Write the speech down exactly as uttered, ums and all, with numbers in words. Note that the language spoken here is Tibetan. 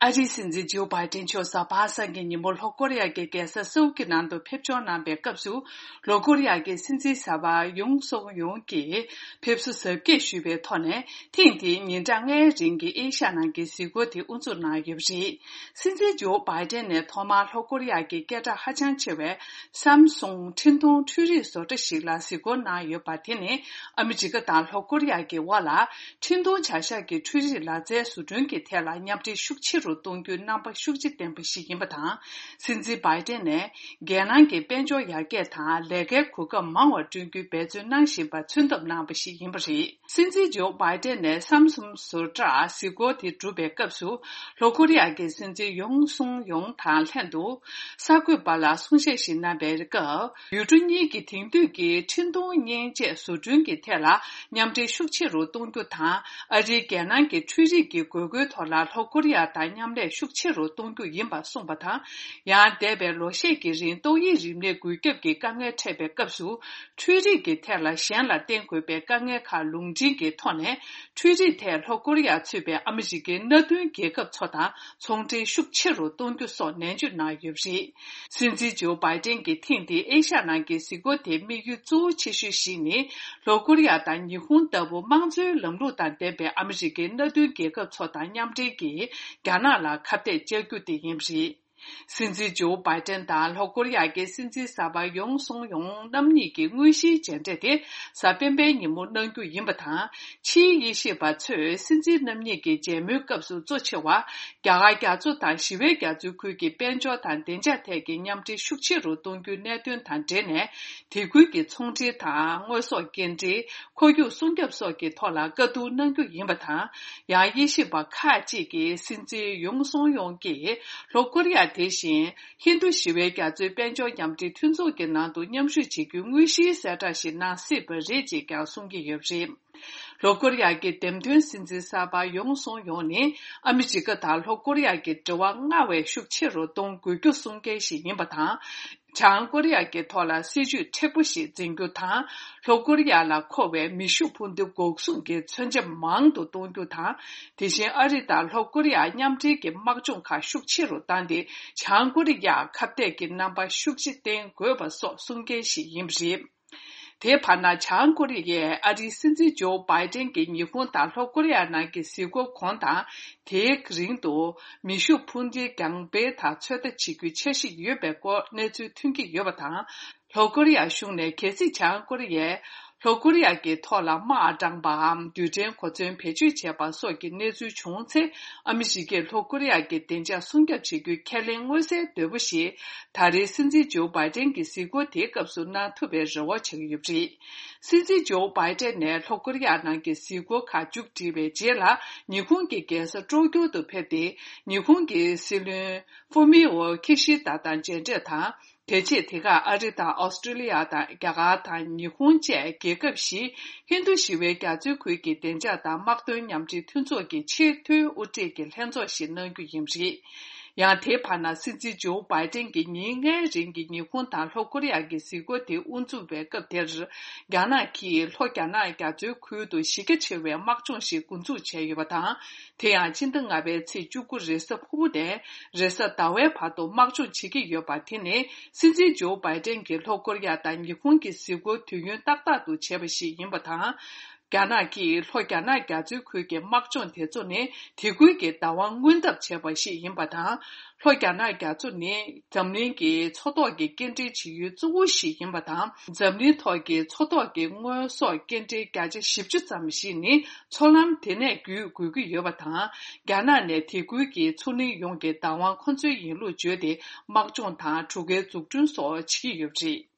ཨ་རིའི་སྲིད་འཛིན་ཇོ་བྷའི་ཏན་མཆོག་གཟའ་པ་སངས་ཀྱི་ཉིན་མོ་ལྷོ་ཀོ་རི་ཡ་གི་རྒྱལ་ས་སེའུལ་གྱི་ནང་དུ་ཕེབས་འབྱོར་གནང་པའི་སྐབས་སུ། ལྷོ་ཀོ་རི་ཡ་གི་སྲིད་འཛིན་གསར་པ་ཡུང་སུག་ཡུང་གིས་ཕེབས་བསུ་གཟབ་རྒྱས་ཞུས་པའི་ཐོག་ནས། ཐེངས་འདིའི་ཉིན་གྲངས་ལྔའི་རིང་གི་ཨེ་ཤ་ཡ་ནང་གི་གཟིགས་སྐོར་དེ་དབུ་འཛུགས་གནང་ཡོད་པ་རེད། སྲིད་འཛིན་ཇོ་བྷའི་ཏན་ནས་ཐོག་མར་ལྷོ་ཀོ་རི་ཡ་གི་སྐད་གྲགས་ཧ་ཅང་ཆེ་བའི་སམ་སུང་འཕྲིན་གཏོང་འཕྲུལ་རིག་བཟོ་གྲྭ་ཞིག་ལ་གཟིགས་སྐོར་གནང་ཡོད་པ་དེ་ནི། ཨ་མི་རི་ཀ་དང་ལྷོ་ཀོ་རི་ཡ་གི་དབར་ལ་འཕྲིན་གཏོང་བྱ་གཞག་གི་འཕྲུལ་རིག་ལག་རྩལ་བཟོ་སྐྲུན་གྱི་ཐད་ལ་མཉམ་འབྲེལ་ཤུགས་ཆེ་རུ་གཏོང་རྒྱུའི་རྣམ་པ་ཤུགས་ཆེ་ལྡན་པ་ཞིག་ཡིན་པ་དང་། སྲིད་འཛིན་བྷའི་ཏན་ནས་རྒྱལ་ནང་གི་དཔལ་འབྱོར་ཡར་རྒྱས་དང་ལས་ཀའི་གོ་སྐབས་མང་བ་བསྐྲུན་རྒྱུའི་འབད་བརྩོན་གནང་བཞིན་པ་མཚོན་ཐབས་གནང་བ་ཞིག་ཡིན་པ་རེད། སྲིད་འཛིན་ཇོ་བྷའི་ཏན་ནས་སམ་སུང་བཟོ་གྲྭར་གཟིགས་སྐོར་དེ་གྲུབ་པའི་སྐབས་སུ། ལྷོ་ཀོ་རི་ཡ་གི་སྲིད་འཛིན་ཡུང་སུང་ཡུང་དང་ལྷན་དུ། གསར་འགོད་པ་ལ་གསུང་བཤད་ཞིག་གནང་པའི་སྐབས། ཡུལ་གྲུ་གཉིས་ཀྱི་དེང་དུས་ཀྱི་འཕྲིན་གཏོང་མཉེན་ཆས་བཟོ་སྐྲུན་གྱི་ཐད་ལ་མཉམ་འབྲེལ་ཤུགས་ཆེ་རུ་གཏོང་རྒྱུ་དང་། ཨ་རིའི་རྒྱལ་ནང་གི་འཕྲུལ་རིག་གི་དགོས་མཁོའི་ཐོག་ལ་ལྷོ་ཀོ་རི་ཡ་དང་མཉམ་ལས་ཤུགས་ཆེ་རུ་གཏོང་རྒྱུ་ཡིན་པ་གསུངས་པ་དང་། ཡང་འདས་པའི་ལོ་ཤས་ཀྱི་རིང་ཏོག་དབྱིབས་རིམས་ནད་འགོས་ཁྱབ་ཀྱི་དཀའ་ངལ་འཕྲད་པའི་སྐབས་སུ། འཕྲུལ་རིག་གི་ཐད་ལ་གཞན་ལ་བརྟེན་དགོས་པའི་དཀའ་ངལ་ཁག་ལུང་འདྲེན་གྱི་ཐོག་ནས། འཕྲུལ་རིག་ཐད་ལྷོ་ཀོ་རི་ཡ་ཚུད་པའི་ཨ་མི་རི་ཀའི་མནའ་མཐུན་རྒྱལ་ཁབ་ཚོ་དང་ཚོང་འབྲེལ་ཤུགས་ཆེ་རུ་གཏོང་རྒྱུ་སོགས་ནན་བརྗོད་གནང་ཡོད་པ་རེད། སྲིད་འཛིན་ཇོ་བྷའི་ཏན་གྱི་ཐེངས་འདིའི་ཨེ་ཤ་ཡ་ནང་གི་གཟིགས་སྐོར་དེའི་དམིགས་ཡུལ་གཙོ་བོ་ཆེ་ཤོས་ཤིག་ནི། ལྷོ་ཀོ་རི་ཡ་དང་ཉི་ཧོང་ལྟ་བུ་དམངས་གཙོའི་ལམ་ལུགས་དང་ལྡན་པའི་ཨ་མི་རི་ཀའི་མནའ་མཐུན་རྒྱལ་ཁབ་ཚོ་དང་མཉམ་འབྲེལ་གྱིས། རྒྱ་ནག་ལ་ཁ་གཏད་བཅག་རྒྱུ་དེ་ཡིན་པ་རེད། སྲིད་འཛིན་ཇོ་བྷའི་ཏན་དང་ལྷོ་ཀོ་རི་ཡ་གི་སྲིད་འཛིན་གསར་པ་ཡུང་སུང་ཡུང་རྣམ་གཉིས་ཀྱི་དངོས་གཞིའི་མཇལ་འཕྲད་དེ་གཟའ་སྤེན་པའི་ཉིན་མོ་གནང་རྒྱུ་ཡིན་པ་དང་། ཕྱིའི་དབྱེ་ཞིབ་པ་ཚོས་སྲིད་འཛིན་རྣམ་གཉིས་ཀྱི་མཇལ་མོལ་སྐབས་སུ་གཙོ་ཆེ་བ། རྒྱ་གར་རྒྱ་མཚོ་དང་ཞི་བའི་རྒྱ་མཚོའི་ཁུལ་གྱི་དཔལ་འབྱོར་དང་བདེ་འཇགས་ཐད་ཀྱི་མཉམ་འབྲེལ་ཤུགས་ཆེ་རུ་གཏོང་རྒྱུའི་གནད་དོན་དང་འབྲེལ་ནས། དེ་ཁུལ་གྱི་ཚོང་འབྲེལ་དང་། དངོས་ཟོག་སྐྱེལ་འདྲེན། ཁོར་ཡུག་སྲུང་སྐྱོབ་སོགས་ཀྱི་ཐོག་ལ་བཀའ་བསྡུར་གནང་རྒྱུ་ཡིན་པ་དང་། ཡང་དབྱེ་ཞིབ་པ་ཁག་ཅིག་གིས་སྲིད་འཛིན་ཡུང་སུང་ཡུང་གིས་ལྷོ་ཀོ་རི་ཡ་དེ་བཞིན་ཧིན་རྡུ་ཞི་བའི་རྒྱ་མཚོའི་དཔལ་འབྱོར་མཉམ་འབྲེལ་མཐུན་ཚོགས་ཀྱི་ནང་དུ་མཉམ་ཞུགས་བྱེད་རྒྱུའི་དངོས་གཞིའི་གསལ་བསྒྲགས་ཤིག་གནང་སྲིད་པ་རེད་ཅེས་ཀྱང་གསུང་གི་ཡོད་པ་རེད། ལྷོ་ཀོ་རི་ཡ་གི་འདེམས་ཐོན་སྲིད་འཛིན་གསར་པ་ཡུང་སུང་ཡུང་ནི་ཨ་མི་རི་ཀ་དང་ལྷོ་ཀོ་རི་ཡ་གི་འབྲེལ་བ་སྔར་བས་ཤུགས་ཆེ་རུ་གཏོང་དགོས་རྒྱུ་གསུང་མཁན་ཞིག་ཡིན་པ་དང་། བྱང་ཀོ་རི་ཡ་གི་ཐོག་ལ་སྲིད་ཇུས་མཁྲེགས་པོ་ཞིག་འཛིན་རྒྱུ་དང་། ལྷོ་ཀོ་རི་ཡ་ལ་མཁོ་བའི་མེ་ཤུགས་འཕུར་མདེལ་འགོག་སྲུང་གི་མཚོན་ཆ་མང་དུ་གཏོང་རྒྱུ་དང་། དེ་བཞིན་ཨ་རི་དང་ལྷོ་ཀོ་རི་ཡ་མཉམ་འབྲེལ་གྱི་དམག་སྦྱོང་ཁག་ཤུགས་ཆེ་རུ་བཏང་སྟེ། བྱང་ཀོ་རི་ཡར་ཁ་གཏད་ཀྱི་རྣམ་པ་ཤུགས་ཆེ་བསྟན་དགོས་པ་སོགས་གསུང་མཁན་ཞིག་ཡིན་པ་རེད། དེའི་བར་ན། བྱང་ཀོ་རི་ཡས་ཨ་རིའི་སྲིད་འཛིན་ཇོ་བྷའི་ཏན་གྱི་ཉི་ཧོང་དང་ལྷོ་ཀོ་རི་ཡ་ནང་གི་གཟིགས་སྐོར་གོང་དང་། དེའི་རིང་དུ་མེ་ཤུགས་འཕུར་མདེལ་རྒྱང་འཕེན་དང་ཚོད་ལྟ་བྱེད་རྒྱུའི་འཆར་གཞི་ཡོད་པའི་སྐོར་གནས་ཚུལ་ཐོན་གྱི་ཡོད་པ་དང་། ལྷོ་ཀོ་རི་ཡ་གཞུང་ནས་གལ་སྲིད་བྱང་ཀོ་རི་ཡས་ལྷོ་ཀོ་རི་ཡ་གི་ཐོག་ལ་དམག་དྲངས་པའམ་རྡུལ་ཕྲན་གོ་མཚོན་བེད་སྤྱོད་བྱས་པ་སོགས་ཀྱི་གནས་ཚུལ་བྱུང་ཚེ། ཨ་མི་རི་ཀས་ལྷོ་ཀོ་རི་ཡ་གི་བདེ་འཇགས་སྲུང་སྐྱོབ་བྱེད་རྒྱུའི་ཁས་ལེན་མངོན་གསལ་དོད་པོ་ཞིག་ད་རེས་སྲིད་འཛིན་ཇོ་བྷའི་ཏན་གྱི་གཟིགས་སྐོར་དེའི་སྐབས་སུ་གནང་ཐུབ་པའི་རེ་བ་བྱེད་ཀྱི་ཡོད་པ་རེད། སྲིད་འཛིན་ཇོ་བྷའི་ཏན་ནས་ལྷོ་ཀོ་རི་ཡ་ནང་གི་གཟིགས་སྐོར་ཁག་མཇུག་སྒྲིལ་བའི་རྗེས་ལ། ཉི་ཧོང་གི་རྒྱལ་ས་ཀྲོ་ཀྱོ་དུ་ཕེབས་ཏེ། ཉི་ཧོང་གི་སྲིད་བློན་ཧྥུ་མི་འོ་ཁི་ཤི་ད་དང་མཇལ་འཕྲད་དང་། དེ་རྗེས་དེ་གར་ཨ་རི་དང་ཨོ་སི་ཀྲི་ལི་ཡ་དང་། རྒྱ་གར་དང་ཉི་ཧོང་བཅས་རྒྱལ་ཁབ་བཞིའི་ཧིན་རྡུ་ཞི་བའི་རྒྱ་མཚོའི་ཁུལ་གྱི་བདེ་འཇགས་དང་དམག་དོན་མཉམ་འབྲེལ་མཐུན་ཚོགས་ཀྱི་ཆེས་མཐོའི་དབུ་ཁྲིད་ཀྱི་ལྷན་ཚོགས་ཤིག་གནང་རྒྱུ་ཡིན་པ་རེད། ཡང་དེའི་བར་ན། སྲིད་འཛིན་ཇོ་བྷའི་ཏན་གྱིས་ཉིན་ལྔའི་རིང་གི་ཉི་ཧོང་དང་ལྷོ་ཀོ་རི་ཡ་གི་གཟིགས་སྐོར་དེ་དབུ་འཛུགས་པའི་སྐབས་དེར། རྒྱ་ནག་གིས་ལྷོ་རྒྱ་ནག་རྒྱ་མཚོའི་ཁུལ་དུ་གཞི་རྒྱ་ཆེ་བའི་དམག་སྦྱོང་ཞིག་འགོ་འཛུགས་བྱས་ཡོད་པ་དང་། དེ་ཡང་སྤྱི་ཟླ་ལྔ་པའི་ཚེས་བཅུ་དགུ་རེས་གཟའ་ཕུར་བུ་ནས་རེས་གཟའ་ཟླ་བའི་བར་དུ་དམག་སྦྱོང་བྱེད་ཀྱི་ཡོད་པ་དེ་ནི། སྲིད་འཛིན་ཇོ་བྷའི་ཏན་གྱིས་ལྷོ་ཀོ་རི་ཡ་དང་ཉི་ཧོང་གི་གཟིགས་སྐོར་དུས་ཡུན་ཏག་ཏག་ཏུ་བྱས་པ་ཞིག་ཡིན་པ་དང་། རྒྱ་ནག་གིས་ལྷོ་རྒྱ་ནག་རྒྱ་མཚོའི་ཁུལ་གྱི་དམག་སྦྱོང་དེ་ཚོ་ནི། དེ་ཁུལ་གྱི་བདག་དབང་མངོན་ཐབས་བྱས་པ་ཞིག་ཡིན་པ་དང་། ལྷོ་རྒྱ་ནག་རྒྱ་མཚོ་ནི་འཛམ་གླིང་གི་མཚོ་ཐོག་གི་སྐྱེལ་འདྲེན་བྱེད་ཡུལ་གཙོ་བོ་ཞིག་ཡིན་པ་དང་། འཛམ་གླིང་ཐོག་གི་མཚོ་ཐོག་གི་དངོས་ཟོག་སྐྱེལ་འདྲེན་བརྒྱ་ཆ་བཞི་བཅུ་ཙམ་ཞིག་ནི་མཚོ་ལམ་དེ་ནས་བརྒྱུད་དགོས་ཀྱི་ཡོད་པ་དང་། རྒྱ་ནག་ནས་དེ་ཁུལ་གྱི་མཚོ་གླིང་ཡོངས་ཀྱི་བདག་དབང་ཁོ་ཚོའི་ཡིན་ལུགས་བརྗོད་དེ། དམག་སྦྱོང་དང་གྲུ་ཁའི་འཛུགས་སྐྲུན་སོགས་བྱེད་ཀྱི་ཡོད་པ་རེད།